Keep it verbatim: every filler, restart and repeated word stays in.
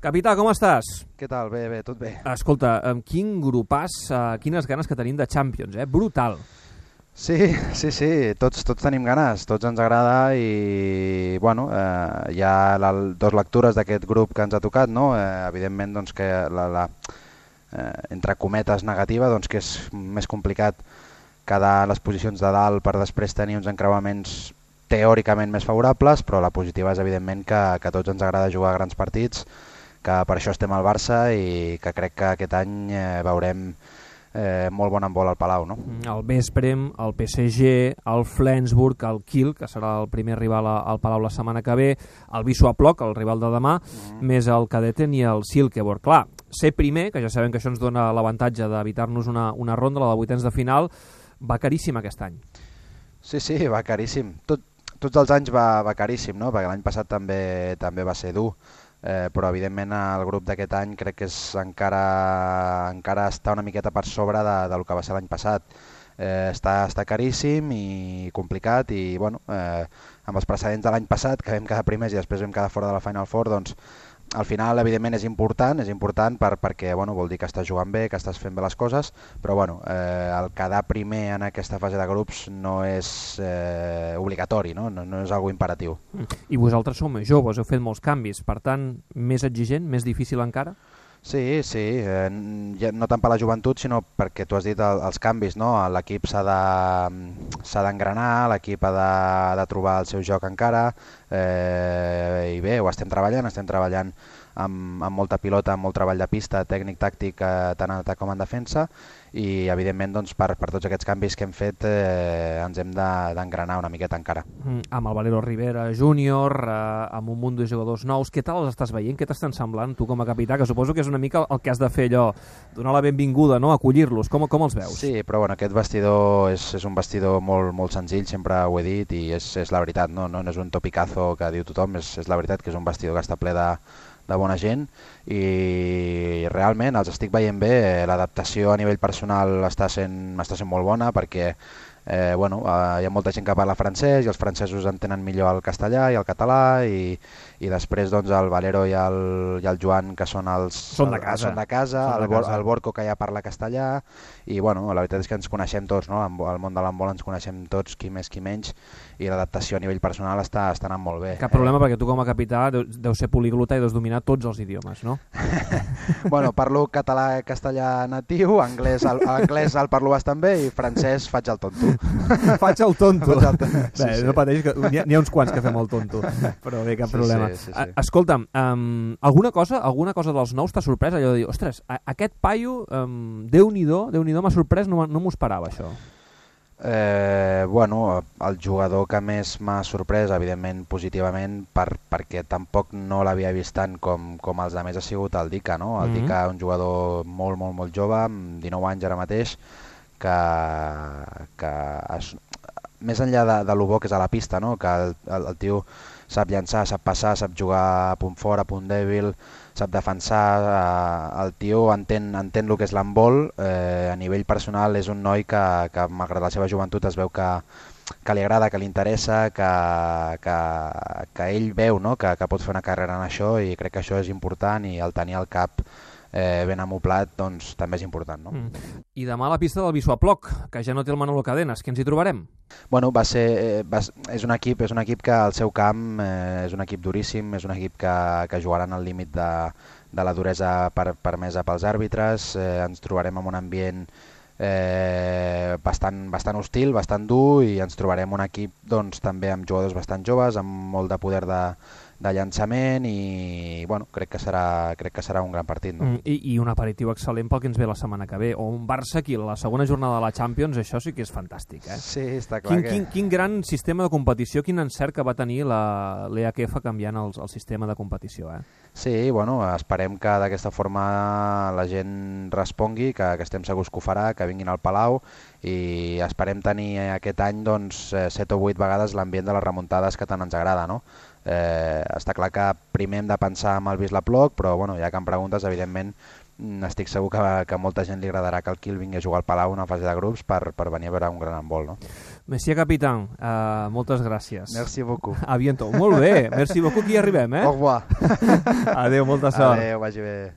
Capità, com estàs? Què tal? Bé, bé, tot bé. Escolta, quin grupàs, uh, quines ganes que tenim de Champions, eh? Brutal. Sí, sí, sí, tots, tots tenim ganes, tots ens agrada i, bueno, eh, hi ha la, dos lectures d'aquest grup que ens ha tocat, no? Eh, evidentment, doncs, que la, la eh, entre cometes negativa, doncs, que és més complicat quedar a les posicions de dalt per després tenir uns encreuaments teòricament més favorables, però la positiva és evidentment que, que a tots ens agrada jugar a grans partits, que per això estem al Barça i que crec que aquest any eh, veurem eh, molt bon handbol al Palau, no? El Vesprem, el P S G, el Flensburg, el Kiel, que serà el primer rival al Palau la setmana que ve, el Wisła-Płock, el rival de demà, mm. més el Cadeten i el Silkeborg. Clar, ser primer, que ja sabem que això ens dona l'avantatge d'evitar-nos una, una ronda, la de vuitens de final, va caríssim aquest any. Sí, sí, va caríssim. Tot, tots els anys va, va caríssim, no? Perquè l'any passat també, també va ser dur. Eh, però evidentment el grup d'aquest any crec que és encara, encara està una miqueta per sobre de, del que va ser l'any passat. Eh, està, està caríssim i complicat i bueno, eh, amb els precedents de l'any passat que vam quedar primers i després vam quedar fora de la Final Four, doncs al final evidentment és important, és important per, perquè bueno, vol dir que estàs jugant bé, que estàs fent bé les coses, però bueno, eh, el quedar primer en aquesta fase de grups no és eh, obligatori, no? No, no és algo imperatiu. I vosaltres sou més joves, heu fet molts canvis, per tant, més exigent, més difícil encara? Sí, sí, eh, no tant per la joventut, sinó perquè tu has dit el, els canvis, no? L'equip s'ha de, s'ha d'engranar, l'equip ha de, de trobar el seu joc encara, eh, i bé, ho estem treballant, estem treballant amb, amb molta pilota, amb molt treball de pista, tècnic, tàctic, eh, tant en atac com en defensa, i evidentment doncs, per, per tots aquests canvis que hem fet eh, ens hem d'engranar una miqueta encara. Mm, amb el Valero Rivera júnior, eh, amb un munt de jugadors nous, què tal els estàs veient? Què t'estan semblant tu com a capità? Que suposo que és una mica el que has de fer allò, donar la benvinguda, no? Acollir-los, com, com els veus? Sí, però bueno, aquest vestidor és, és un vestidor molt, molt senzill, sempre ho he dit i és, és la veritat, no? No, no és un topicazo que diu tothom, és, és la veritat que és un vestidor que està ple de de bona gent i realment els estic veient bé, l'adaptació a nivell personal està sent, està sent molt bona perquè eh, bueno, eh, hi ha molta gent que parla francès i els francesos entenen millor el castellà i el català i, i després doncs, el Valero i el, i el Joan que són els són de casa, són de casa, són de el, casa. el Borco que ja parla castellà i bueno, la veritat és que ens coneixem tots, no? Al món de l'handbol ens coneixem tots, qui més qui menys, i l'adaptació a nivell personal està, està anant molt bé. Cap problema, eh? Perquè tu com a capità deu, deu ser poliglota i deus dominar tots els idiomes, no? Bueno, parlo català castellà natiu, anglès el, anglès el parlo bastant bé i francès faig el tonto. Faig el tonto. Faig el tonto. Sí, bé, sí. No pateix, que n'hi ha, ha uns quants que fem el tonto, però bé, cap sí, problema. Sí, sí, sí. Escolta'm, um, alguna cosa alguna cosa dels nous t'ha sorprès? Allò de dir, ostres, a, aquest paio, um, Déu-n'hi-do, Déu-n'hi-do m'ha sorprès, no, no m'ho esperava això. Eh, bueno, el jugador que més m'ha sorprès, evidentment positivament, per, perquè tampoc no l'havia vist tant com, com els altres, ha sigut el Dica, no? El mm-hmm. Dica, un jugador molt, molt, molt jove, amb dinou anys ara mateix, que, que es, més enllà de, de lo bo que és a la pista, no? Que el, el, el tio sap llançar, sap passar, sap jugar a punt fort, a punt dèbil, sap defensar, eh, el tio entén, entén el que és l'handbol, eh, a nivell personal és un noi que, que malgrat la seva joventut es veu que, que li agrada, que li interessa, que, que, que ell veu, no? que, que pot fer una carrera en això i crec que això és important i el tenir al cap eh, ben amoplat doncs, també és important. No? Mm. I demà a la pista del Wisła-Płock, que ja no té el Manolo Cadenas, què ens hi trobarem? Bueno, va ser, eh, va, és, un equip, és un equip que al seu camp eh, és un equip duríssim, és un equip que, que jugaran al límit de, de la duresa per, permesa pels àrbitres, eh, ens trobarem en un ambient eh, bastant, bastant hostil, bastant dur i ens trobarem un equip doncs, també amb jugadors bastant joves, amb molt de poder de, de llançament i bueno, crec que serà, crec que serà un gran partit. No? Mm, i, I un aperitiu excel·lent pel que ens ve la setmana que ve, o un Barça aquí, la segona jornada de la Champions, això sí que és fantàstic. Eh? Sí, està clar quin, que... Quin, quin gran sistema de competició, quin encert que va tenir l'E H F canviant el, el sistema de competició. Eh? Sí, bueno, esperem que d'aquesta forma la gent respongui, que, que estem segurs que ho farà, que vinguin al Palau i esperem tenir aquest any doncs, set o vuit vegades l'ambient de les remuntades que tant ens agrada, no? Eh, està clar que primer hem de pensar en el Wisła-Płock, però bueno, ja que em preguntes, evidentment estic segur que, que a molta gent li agradarà que el Kiel vingui a jugar al Palau una fase de grups per, per venir a veure un gran handbol, no? Monsieur Capitán, uh, moltes gràcies. Merci beaucoup. A bientôt. Molt bé, merci beaucoup, aquí arribem, eh? Au revoir. Adéu, molta sort. Adéu, vagi bé.